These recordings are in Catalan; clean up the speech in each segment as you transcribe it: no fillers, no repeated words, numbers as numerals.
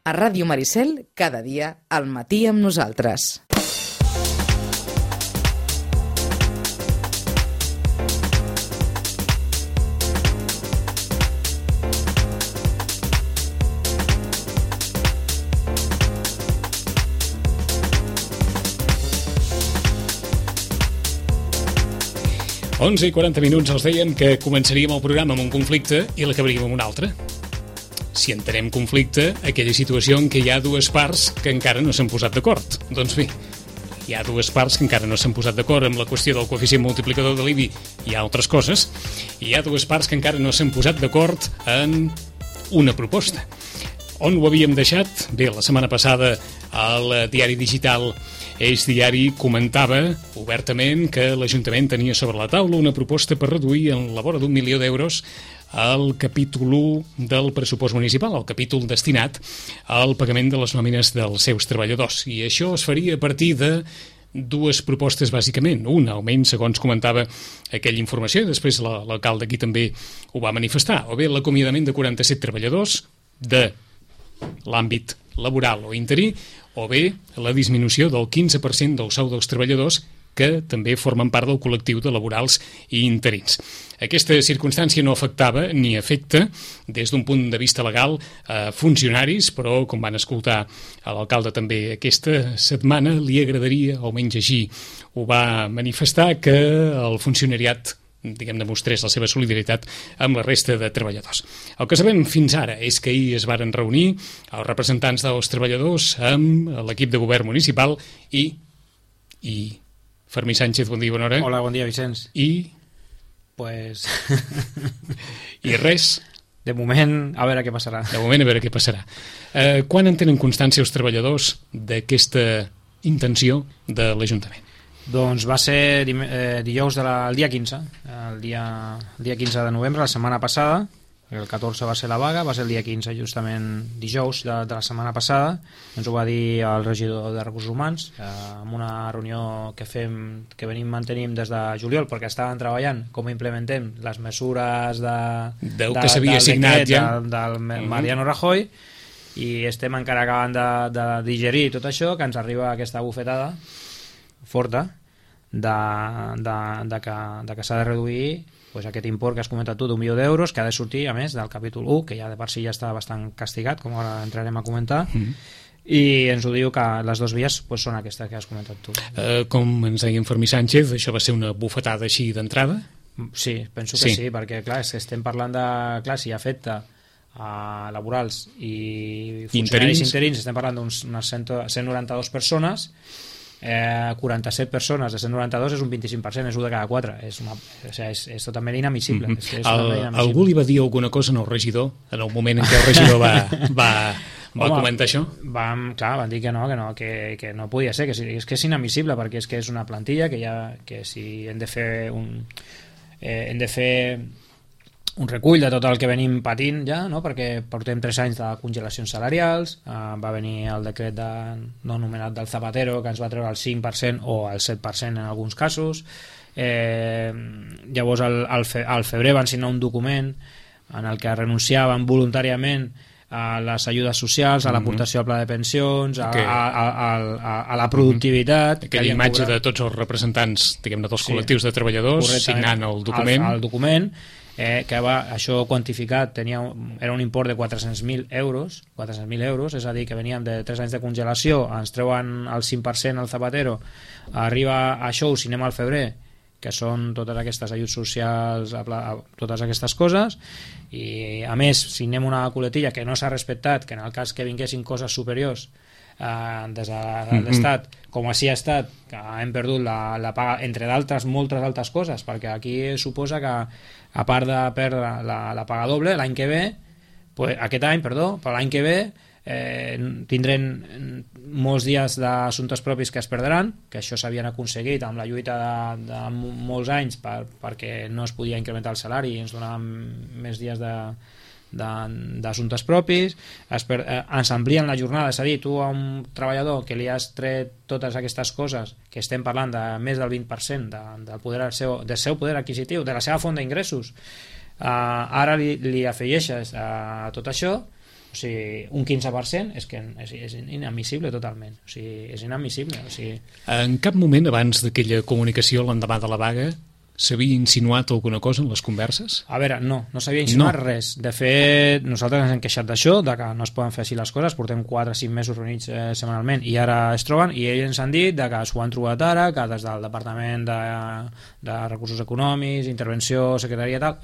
A Ràdio Maricel, cada dia al matí amb nosaltres. Onze i 40 minuts els deien que començaríem el programa amb un conflicte i l'acabaríem amb un altre. Si entenem conflicte, aquella situació en què hi ha dues parts que encara no s'han posat d'acord. Doncs bé, hi ha dues parts que encara no s'han posat d'acord amb la qüestió del coeficient multiplicador de l'IBI i altres coses, i hi ha dues parts que encara no s'han posat d'acord en una proposta. On ho havíem deixat? Bé, la setmana passada el diari digital Eix Diari comentava obertament que l'Ajuntament tenia sobre la taula una proposta per reduir en la vora d'1 milió d'euros el capítol 1 del pressupost municipal, el capítol destinat al pagament de les nòmines dels seus treballadors. I això es faria a partir de dues propostes, bàsicament. Una, almenys, segons comentava aquella informació, i després l'alcalde aquí també ho va manifestar. O bé l'acomiadament de 47 treballadors de l'àmbit laboral o interí, o bé la disminució del 15% del sou dels treballadors que també formen part del col·lectiu de laborals i interins. Aquesta circumstància no afectava ni afecta des d'un punt de vista legal a funcionaris, però com van escoltar a l'alcalde també aquesta setmana, li agradaria, almenys així ho va manifestar, que el funcionariat demostrés la seva solidaritat amb la resta de treballadors. El que sabem fins ara és que ahir es varen reunir els representants dels treballadors amb l'equip de govern municipal i Fermí Sánchez, bon dia, bona hora. Hola, bon dia, Vicenç. Pues... I res? De moment, a veure què passarà. De moment, a veure què passarà. Quan en tenen constància els treballadors d'aquesta intenció de l'Ajuntament? Doncs va ser dijous el dia 15, el dia 15 de novembre, la setmana passada. El 14 va ser la vaga, va ser el dia 15, justament dijous de la setmana passada. Ens ho va dir el regidor de Recursos Humans en una reunió que venim des de juliol, perquè estaven treballant com implementem les mesures que s'havia signat ja del Mariano Rajoy, i estem encara acabant de digerir tot això, que ens arriba aquesta bufetada forta de que s'ha de reduir aquest import que has comentat tu d'1 milió d'euros, que ha de sortir a més del capítol 1, que ja de per si ja està bastant castigat, com ara entrarem a comentar, i ens ho diu que les dues vies són aquestes que has comentat tu. Com ens deia en Fermí Sánchez, això va ser una bufetada així d'entrada? Sí, penso que sí, perquè clar, estem parlant de, si afecta a laborals i funcionaris interins, estem parlant d'unes 192 persones. 47 persones de 192 és un 25%, és 1 de cada 4, és totalment inadmissible. Algú li va dir alguna cosa al regidor en el moment en què el regidor va comentar això? Van dir que no podia ser, que és inadmissible, perquè és una plantilla que si hem de fer un recull de tot el que venim patint ja, no? Perquè portem 3 anys de congelacions salarials, va venir el decret no anomenat del Zapatero, que ens va treure el 5% o el 7% en alguns casos. Llavors al febrer van signar un document en el que renunciaven voluntàriament a les ajudes socials, a l'aportació al pla de pensions, a la productivitat. Aquella imatge de tots els representants, diguem-ne, dels col·lectius de treballadors signant el document. El document, que això quantificat era un import de 400.000 euros, és a dir, que veníem de 3 anys de congelació, ens treuen el 5% al Zapatero, arriba això, ho signem al febrer, que són totes aquestes ajuts socials, totes aquestes coses, i a més signem una coletilla que no s'ha respectat, que en el cas que vinguessin coses superiors des de l'Estat, com així ha estat, que hem perdut la paga, entre d'altres, moltes altres coses, perquè aquí suposa que, a part de perdre la paga doble l'any que ve, aquest any, però l'any que ve tindrem molts dies d'assumptes propis que es perdran, que això s'havien aconseguit amb la lluita de molts anys perquè no es podia incrementar el salari i ens donaven més dies d'assumptes propis, ens amplien la jornada, és a dir, tu a un treballador que li has tret totes aquestes coses, que estem parlant de més del 20% del seu poder adquisitiu, de la seva font d'ingressos, ara li afegeixes a tot això O sigui, un 15% és que és inadmissible totalment. O sigui, és inadmissible. O sigui... En cap moment abans d'aquella comunicació l'endemà de la vaga s'havia insinuat alguna cosa en les converses? A veure, no s'havia insinuat res. De fet, nosaltres ens hem queixat d'això, de que no es poden fer així les coses, portem 4 o 5 mesos reunits setmanalment i ara es troben, i ells ens han dit de que s'ho han trobat ara, que des del Departament de Recursos Econòmics, Intervenció, Secretaria tal,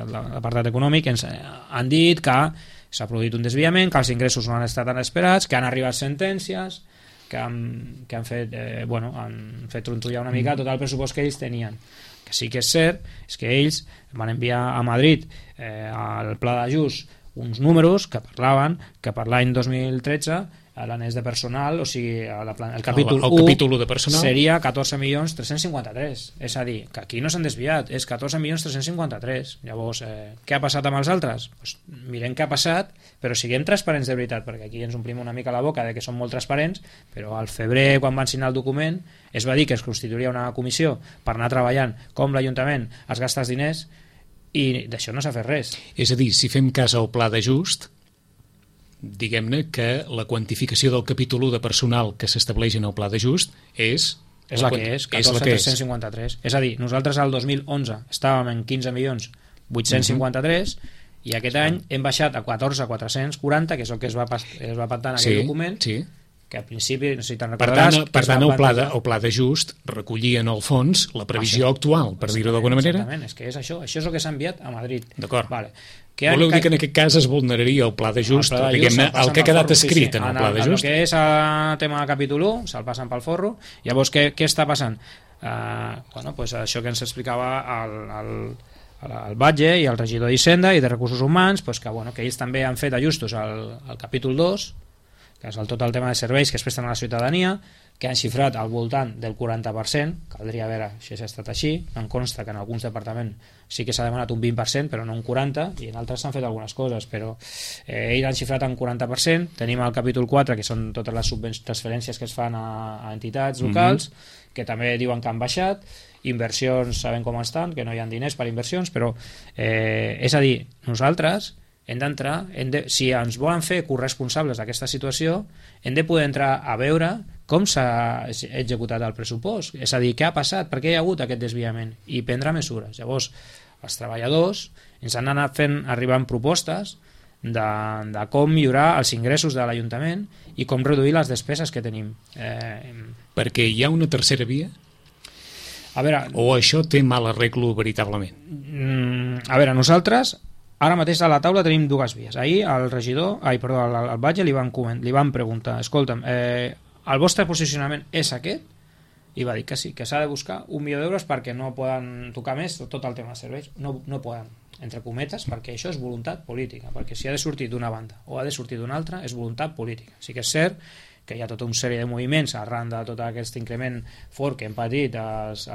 l'apartat econòmic, ens han dit que s'ha produït un desviament, que els ingressos no han estat tan esperats, que han arribat sentències, que han fet trontollar una mica tot el pressupost que ells tenien. Que sí que és cert és que ells van enviar a Madrid al pla d'ajust uns números que parlaven que per l'any 2013 l'anès de personal, o sigui el capítol 1 de personal seria 14.353.000. És a dir, que aquí no s'han desviat, és 14.353.000. Llavors, què ha passat amb els altres? Pues mirem què ha passat, però siguem transparents de veritat, perquè aquí ens omplim una mica la boca de que som molt transparents, però al febrer, quan van signar el document, es va dir que es constituiria una comissió per anar treballant com l'Ajuntament es gasta els diners, i d'això no s'ha fet res. És a dir, si fem cas al pla d'ajust, diguem-ne que la quantificació del capítol 1 de personal que s'estableix en el pla d'ajust és la que és, 14.353. És a dir, nosaltres al 2011 estàvem en 15.853.000 i aquest any hem baixat a 14.440, que és el que es va pactar en aquell document, que al principi, no sé si te'n recordaràs... Per tant, el pla d'ajust recollia en el fons la previsió actual, per dir-ho d'alguna manera. Exactament, és que és això és el que s'ha enviat a Madrid. D'acord. Voleu dir que en aquest cas es vulneraria el pla d'ajust, diguem-ne, el que ha quedat escrit en el pla d'ajust? El que és el tema del capítol 1, se'l passen pel forro. Llavors, què està passant? Això que ens explicava el Batlle i el regidor d'Hisenda i de Recursos Humans, que ells també han fet ajustos al capítol 2, que és tot el tema de serveis que es presten a la ciutadania, que han xifrat al voltant del 40%, caldria veure si ha estat així, em consta que en alguns departaments sí que s'ha demanat un 20%, però no un 40%, i en altres s'han fet algunes coses, però ells han xifrat en 40%, tenim el capítol 4, que són totes les transferències que es fan a entitats locals, que també diuen que han baixat, inversions sabem com estan, que no hi ha diners per inversions, però és a dir, nosaltres hem d'entrar, si ens volen fer corresponsables d'aquesta situació, hem de poder entrar a veure com s'ha executat el pressupost, és a dir, què ha passat, per què hi ha hagut aquest desviament, i prendre mesures. Llavors, els treballadors ens han anat fent arribar propostes de com millorar els ingressos de l'Ajuntament i com reduir les despeses que tenim. Perquè hi ha una tercera via? A veure, o això té mal arreglo veritablement? A veure, nosaltres ara mateix a la taula tenim dues vies. Ahir el Batlle li van preguntar, escolta'm, el vostre posicionament és aquest? I va dir que sí, que s'ha de buscar 1 milió d'euros perquè no poden tocar més tot el tema de serveis. No poden, entre cometes, perquè això és voluntat política, perquè si ha de sortir d'una banda o ha de sortir d'una altra és voluntat política. Sí que és cert que hi ha tota una sèrie de moviments arran de tot aquest increment fort que hem patit els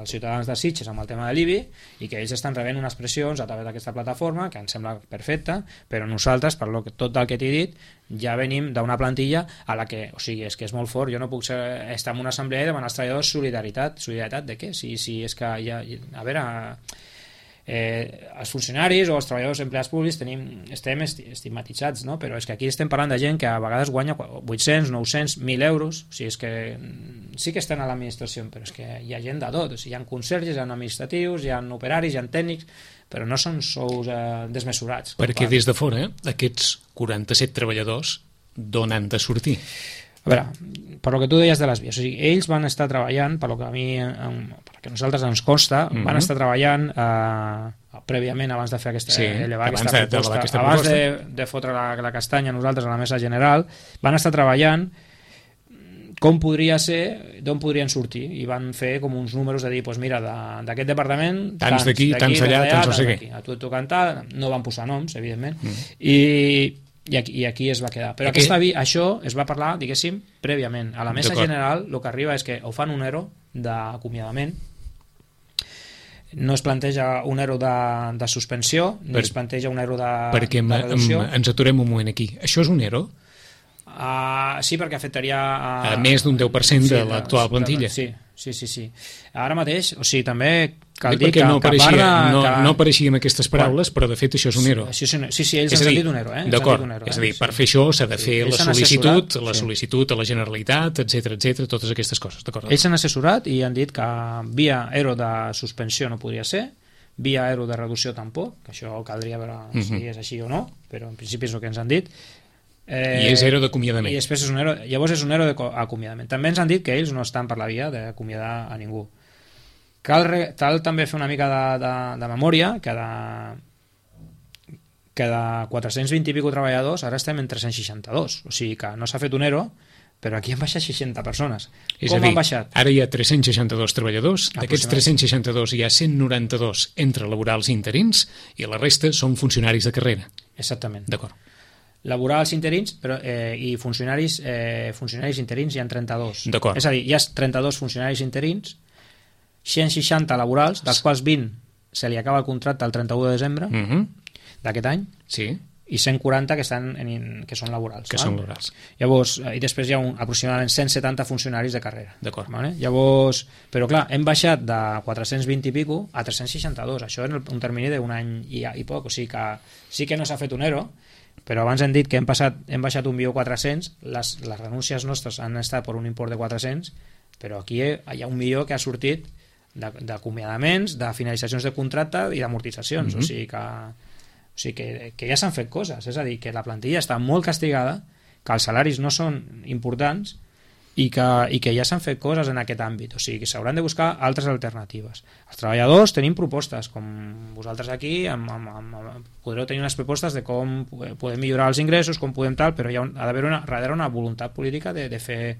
ciutadans de Sitges amb el tema de l'IBI i que ells estan rebent unes pressions a través d'aquesta plataforma que ens sembla perfecta, però nosaltres, per tot el que t'he dit, ja venim d'una plantilla a la que, o sigui, és que és molt fort, jo no puc estar en una assemblea i demanar als treballadors solidaritat de què? Si és que a veure... els funcionaris o els treballadors empleats públics estem estigmatitzats, no? Però és que aquí estem parlant de gent que a vegades guanya 800, 900, 1.000 euros, o sigui, és que sí que estan a l'administració, però és que hi ha gent de tot, o sigui, hi ha conserges, hi ha administratius, hi ha operaris, hi ha tècnics, però no són sous desmesurats. Perquè des de fora, aquests 47 treballadors d'on han de sortir? A veure, per lo que tu deies de les vies, o sigui, ells van estar treballant, per lo que a mi, perquè a nosaltres ens consta, van estar treballant prèviament abans de fer aquesta proposta, abans de fotre la castanya nosaltres a la mesa general, van estar treballant com podria ser, d'on podrien sortir, i van fer com uns números de dir, doncs mira, d'aquest departament tants d'aquí, tants allà, tants no sé què, a tu et toca cantar, no van posar noms, evidentment, i aquí es va quedar. Però això es va parlar, diguéssim, prèviament. A la mesa general el que arriba és que o fan un ERO d'acomiadament, no es planteja un ERO de suspensió, ni es planteja un ERO de reducció. Perquè ens aturem un moment aquí. Això és un ERO? Sí, perquè afectaria a més d'un 10% de l'actual plantilla. Sí. Ara mateix, o sigui, també cal dir perquè que, no no apareixia amb aquestes paraules, però de fet això és un ERO. Sí, ells han dit un ERO. D'acord, és a dir, per fer això s'ha de fer la sol·licitud a la Generalitat, etc, totes aquestes coses. Ells s'han assessorat i han dit que via ERO de suspensió no podria ser, via ERO de reducció tampoc, que això caldria veure si és així o no, però en principi és el que ens han dit. I és ERO d'acomiadament. I després és un ERO, llavors és un ERO d'acomiadament. També ens han dit que ells no estan per la via d'acomiadar a ningú. Cal també fer una mica de memòria que de 420 i pico treballadors ara estem en 362, o sigui que no s'ha fet un ERO, però aquí han baixat 60 persones. Com han baixat? Ara hi ha 362 treballadors, d'aquests 362 hi ha 192 entre laborals i interins i la resta són funcionaris de carrera. Exactament. D'acord. Laborals interins i funcionaris interins hi ha 32. D'acord. És a dir, hi ha 32 funcionaris interins, 160 laborals, dels quals 20 se li acaba el contracte el 31 de desembre d'aquest any, sí, i 140 que són laborals. Són laborals. Llavors, i després hi ha aproximadament 170 funcionaris de carrera. D'acord. Vale? Llavors, però clar, hem baixat de 420 i pico a 362, això en un termini d'un any i poc, o sigui que sí que no s'ha fet un ERO, però abans hem dit que hem baixat 1.400.000, les renúncies nostres han estat per un import de 400, però aquí hi ha 1 milió que ha sortit d'acomiadaments, de finalitzacions de contracte i d'amortitzacions, o sigui que ja s'han fet coses, és a dir, que la plantilla està molt castigada, que els salaris no són importants i que ja s'han fet coses en aquest àmbit, o sigui que s'hauran de buscar altres alternatives. Els treballadors tenim propostes, com vosaltres aquí podreu tenir unes propostes de com podem millorar els ingressos, com podem tal, però ha d'haver darrere una voluntat política de fer.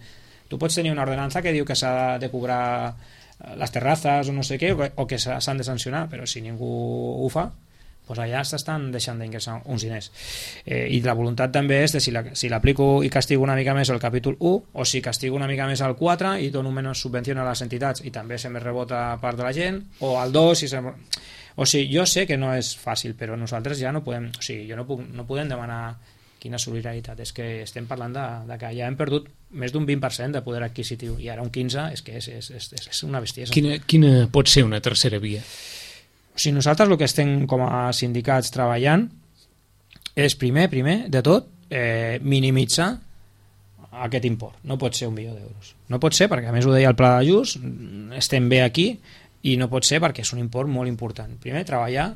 Tu pots tenir una ordenança que diu que s'ha de cobrar les terrazas o no sé què, o que s'han de sancionar, però si ningú ho fa, doncs allà s'estan deixant d'ingressar uns diners. I la voluntat també és de si l'aplico i castigo una mica més el capítol 1, o si castigo una mica més el 4 i dono menys subvenció a les entitats i també se me rebota part de la gent, o al 2 o sigui, jo sé que no és fàcil, però nosaltres ja no podem, o sigui, no podem demanar quina solidaritat, és que estem parlant de que ja hem perdut més d'un 20% de poder adquisitiu i ara un 15% és que és una bestiesa. Quina pot ser una tercera via? O sigui, nosaltres el que estem com a sindicats treballant és primer de tot minimitzar aquest import. No pot ser 1 milió d'euros. No pot ser perquè, a més ho deia el pla d'ajust, estem bé aquí i no pot ser perquè és un import molt important. Primer, treballar.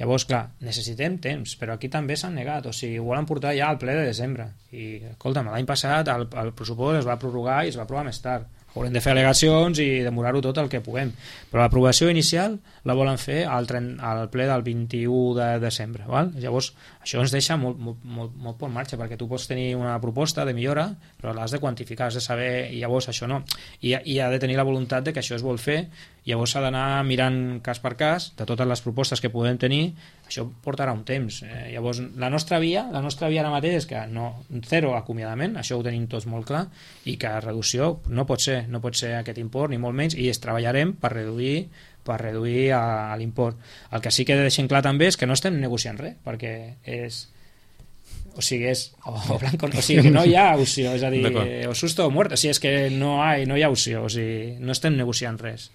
Llavors, clar, necessitem temps, però aquí també s'han negat, o sigui, ho volen portar ja al ple de desembre. I, escolta'm, l'any passat el pressupost es va prorrogar i es va aprovar més tard. Haurem de fer al·legacions i demorar-ho tot el que puguem. Però l'aprovació inicial la volen fer al ple del 21 de desembre. Val? Llavors, això ens deixa molt per marxa, perquè tu pots tenir una proposta de millora, però l'has de quantificar, has de saber, i llavors això no. I ha de tenir la voluntat de que això es vol fer, llavors s'ha d'anar mirant cas per cas de totes les propostes que podem tenir. Això portarà un temps. Llavors, la nostra via ara mateix és que zero acomiadament, això ho tenim tots molt clar, i que reducció no pot ser aquest import, ni molt menys, i treballarem per reduir l'import. El que sí que deixem clar també és que no estem negociant res, perquè és blanco, o sigui que no hi ha opció, és a dir, o susto o muerte, o sigui, és que no hi ha opció, o sigui, no estem negociant res.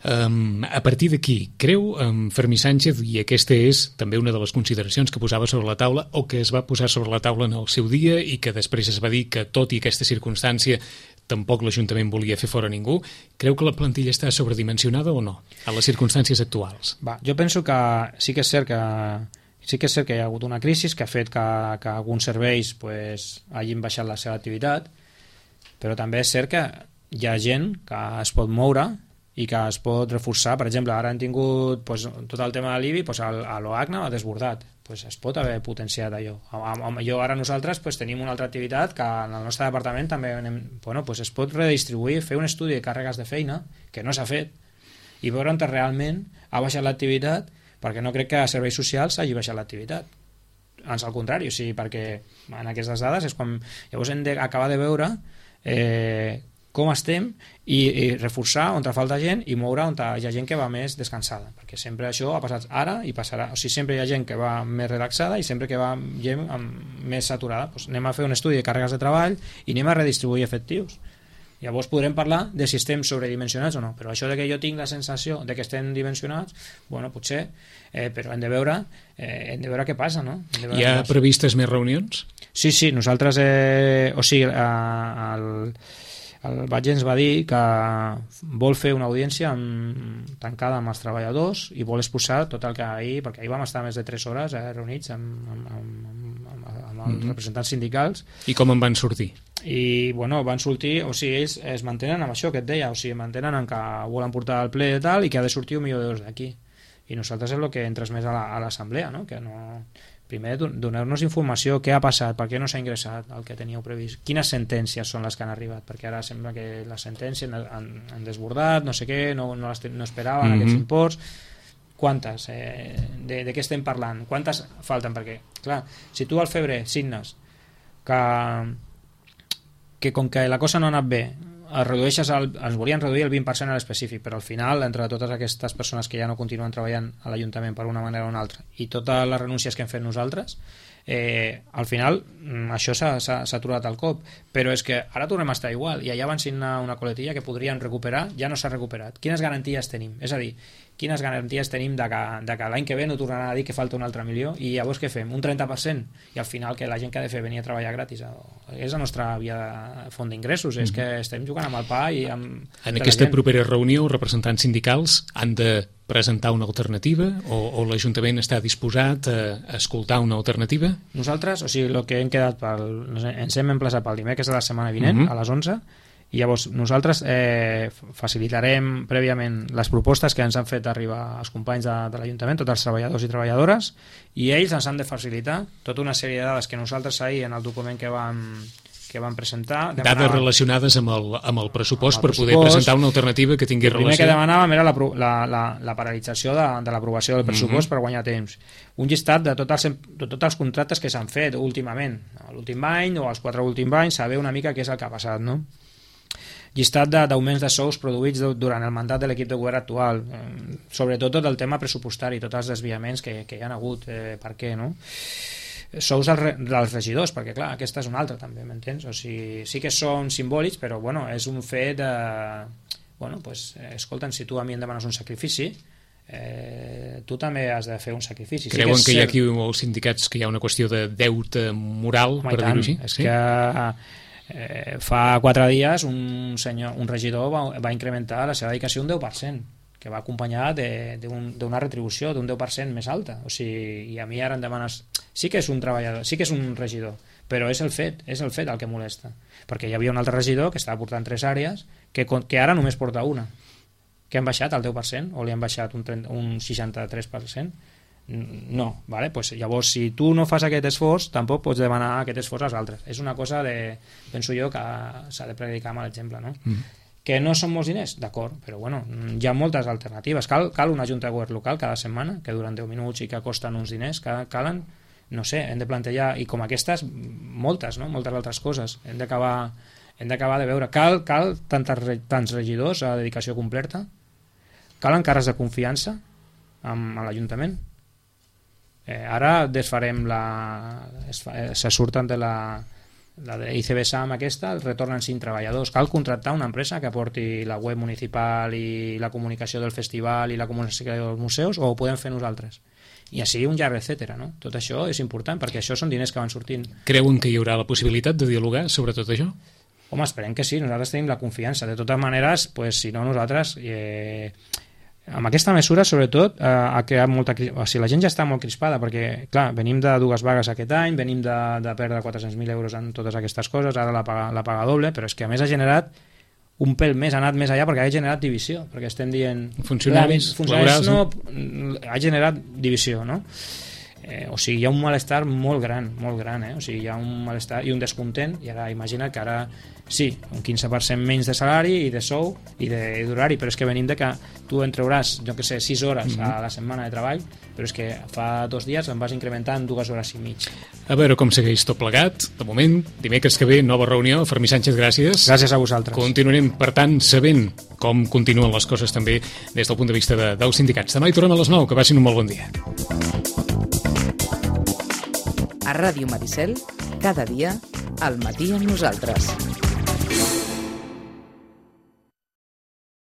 A partir d'aquí, creu Fermí Sánchez, i aquesta és també una de les consideracions que posava sobre la taula, o que es va posar sobre la taula en el seu dia i que després es va dir que tot i aquesta circumstància tampoc l'Ajuntament volia fer fora ningú, creu que la plantilla està sobredimensionada o no, a les circumstàncies actuals? Jo penso que sí que és cert que hi ha hagut una crisi que ha fet que alguns serveis hagin baixat la seva activitat, però també és cert que hi ha gent que es pot moure i que es pot reforçar. Per exemple, ara hem tingut tot el tema de l'IBI, a l'OACNA ha desbordat, es pot haver potenciat allò. Ara nosaltres tenim una altra activitat que en el nostre departament també es pot redistribuir, fer un estudi de càrregues de feina que no s'ha fet i veure on realment ha baixat l'activitat, perquè no crec que a serveis socials hagi baixat l'activitat. Ans al contrari, perquè en aquestes dades és quan llavors hem d'acabar de veure com estem i reforçar on falta gent i moure on hi ha gent que va més descansada, perquè sempre això ha passat ara i passarà, o sigui, sempre hi ha gent que va més relaxada i sempre que va gent més saturada. Anem a fer un estudi de càrregues de treball i anem a redistribuir efectius, Llavors podrem parlar de si estem sobredimensionats o no, però això de que jo tinc la sensació de que estem dimensionats, bueno, potser, però hem de veure què passa, no? Hi ha previstes més reunions? Sí, nosaltres, o sigui, el Batlle ens va dir que vol fer una audiència tancada amb els treballadors i vol exposar tot el que perquè ahir vam estar més de 3 hores reunits amb els representants sindicals. I com en van sortir? I bueno, van sortir, o sigui, ells es mantenen amb això que et deia, o sigui, mantenen en que volen portar al ple i tal, i que ha de sortir 1 milió d'euros d'aquí. I nosaltres és el que hem transmès a l'assemblea, no? Que no... Primer, donar-nos informació, què ha passat, per què no s'ha ingressat el que teníeu previst, quines sentències són les que han arribat, perquè ara sembla que les sentències han desbordat, no sé què, no esperaven aquests imports, quantes, de què estem parlant, quantes falten, perquè, clar, si tu al febrer signes que com que la cosa no ha anat bé, ens volien reduir el 20% a l'específic, però al final, entre totes aquestes persones que ja no continuen treballant a l'Ajuntament per una manera o una altra i totes les renúncies que hem fet nosaltres, al final això s'ha aturat al cop, però és que ara tornem a estar igual, i allà van signar una coletilla que podrien recuperar, ja no s'ha recuperat. Quines garanties tenim? És a dir, quines garanties tenim de que l'any que ve no tornaran a dir que falta un altre milió, i llavors què fem? Un 30%? I al final que la gent que ha de fer venir a treballar gratis és la nostra via de font d'ingressos, és que estem jugant amb el pa i amb... En aquesta propera reunió, els representants sindicals han de presentar una alternativa o l'Ajuntament està disposat a escoltar una alternativa? Nosaltres, o sigui, el que hem quedat ens hem emplaçat pel dimecres de la setmana vinent a les 11, i llavors nosaltres facilitarem prèviament les propostes que ens han fet arribar els companys de l'Ajuntament, tots els treballadors i treballadores, i ells ens han de facilitar tota una sèrie de dades que nosaltres ahir en el document que vam presentar... Dades relacionades amb el pressupost per poder presentar una alternativa que tingui relació... El primer que demanàvem era la paralització de l'aprovació del pressupost per guanyar temps. Un llistat de tots els contractes que s'han fet últimament, l'últim any o els 4 últims anys, saber una mica què és el que ha passat, no? Llistat d'augments de sous produïts durant el mandat de l'equip de govern actual, sobretot tot el tema pressupostari, tots els desviaments que hi ha hagut, per què, no? Sous dels regidors, perquè clar, aquesta és una altra també, m'entens? O sigui, sí que són simbòlics, però bueno, és un fet bueno, pues, escolta'm, si tu a mi em demanes un sacrifici, tu també has de fer un sacrifici. Creuen que hi ha aquí els sindicats que hi ha una qüestió de deute moral, per dir-ho així? És que fa 4 dies un regidor va incrementar la seva dedicació un 10%, que va acompanyat d'una retribució d'un 10% més alta. O sigui, i a mi ara em demanes... Sí que és un treballador, sí que és un regidor, però és el fet el que molesta. Perquè hi havia un altre regidor que estava portant 3 àrees que ara només porta una, que han baixat el 10% o li han baixat un 63%. No, vale? Pues llavors si tu no fas aquest esforç tampoc pots demanar aquest esforç als altres. És una cosa penso jo que s'ha de predicar amb l'exemple, no? Que no són molts diners, d'acord, però bueno, hi ha moltes alternatives. Cal una junta de govern local cada setmana que duren 10 minuts i que costen uns diners, calen, no sé, hem de plantejar, i com aquestes moltes, no? Moltes altres coses hem d'acabar de veure. Cal tants regidors a dedicació completa, calen càrrecs de confiança a l'Ajuntament. Ara desfarem se surten de la de ICB SAM aquesta, retornen 5 treballadors. Cal contractar una empresa que porti la web municipal i la comunicació del festival i la comunicació dels museus, o ho podem fer nosaltres? I així un llarg etcètera, no? Tot això és important perquè això són diners que van sortint. Creuen que hi haurà la possibilitat de dialogar sobre tot això? Home, esperem que sí, nosaltres tenim la confiança. De totes maneres, pues, si no nosaltres... amb aquesta mesura, sobretot, ha creat molta... O sigui, la gent ja està molt crispada, perquè, clar, venim de 2 vagues aquest any, venim de perdre 400.000 euros en totes aquestes coses, ara la paga doble, però és que a més ha generat un pèl més, ha anat més allà perquè ha generat divisió, perquè estem dient... Funcionaris laborals, no, ha generat divisió, no? O sigui, hi ha un malestar molt gran, o sigui, hi ha un malestar i un descontent, i ara imagina't que ara sí, un 15% menys de salari i de sou i d'horari, però és que venim de que tu en trauràs, jo que sé, 6 hores a la setmana de treball, però és que fa 2 dies em vas incrementar en 2 hores i mig. A veure com segueix tot plegat. De moment, dimecres que ve, nova reunió. Fermí Sánchez, gràcies. Gràcies a vosaltres. Continuarem, per tant, sabent com continuen les coses també des del punt de vista dels sindicats. Demà hi tornem a les 9, que passin un molt bon dia. A Ràdio Maricel, cada dia, al matí amb nosaltres.